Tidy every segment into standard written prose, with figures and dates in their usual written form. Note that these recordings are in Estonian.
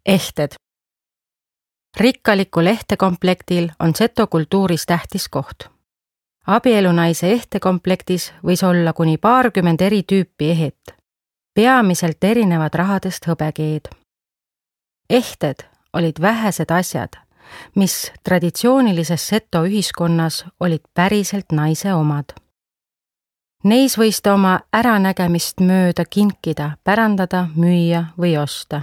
Ehted. Rikkalikul ehtekomplektil on seto kultuuris tähtis koht. Abielunaise ehtekomplektis võis olla kuni 20 eri tüüpi ehet. Peamiselt erinevad rahadest hõbekeed. Ehted olid vähesed asjad, mis traditsioonilises seto ühiskonnas olid päriselt naise omad. Neis võis ta oma äranägemist mööda kinkida, pärandada, müüa või osta.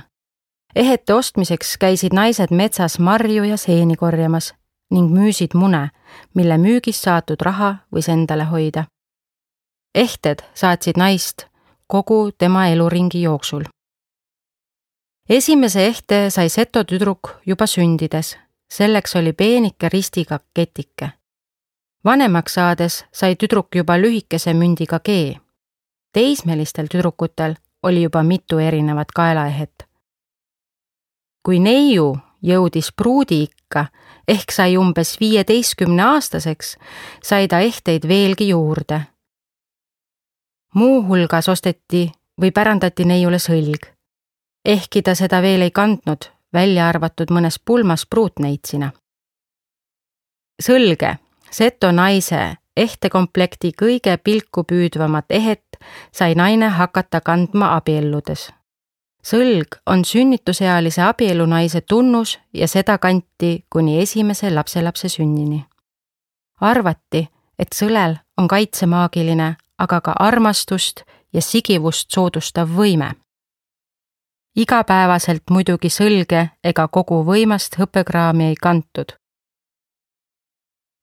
Ehete ostmiseks käisid naised metsas marju ja seeni korjamas ning müüsid mune, mille müügist saadud raha võis endale hoida. Ehted saatsid naist kogu tema eluringi jooksul. Esimese ehte sai seto tüdruk juba sündides, selleks oli peenike ristiga ketike. Vanemaks saades sai tüdruk juba lühikese mündiga kee. Teismelistel tüdrukutel oli juba mitu erinevat kaelaehet. Kui neiu jõudis pruudiikka ehk sai umbes 15-aastaseks, sai ta ehteid veelgi juurde. Muu hulgas osteti või pärandati neiule sõlg, ehkki ta seda veel ei kandnud, välja arvatud mõnes pulmas pruutneitsina. Sõlge, seto naise ehtekomplekti kõige pilku püüdvamat ehet sai naine hakata kandma abielludes. Sõlg on sünnitusealise abielunaise tunnus ja seda kanti kuni esimese lapselapse sünnini. Arvati, et sõlel on kaitsemaagiline, aga ka armastust ja sigivust soodustav võime. Igapäevaselt muidugi sõlge ega kogu võimast hõbekraami ei kantud.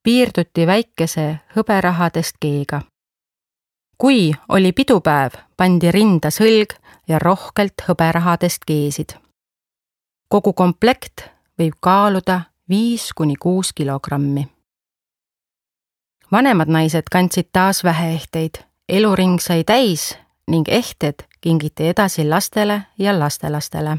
Piirduti väikese hõberahadest keega. Kui oli pidupäev, pandi rinda sõlg ja rohkelt hõberahadest keesid. Kogu komplekt võib kaaluda 5–6 kilogrammi. Vanemad naised kandsid taas väheehteid, eluring sai täis ning ehted kingiti edasi lastele ja lastelastele.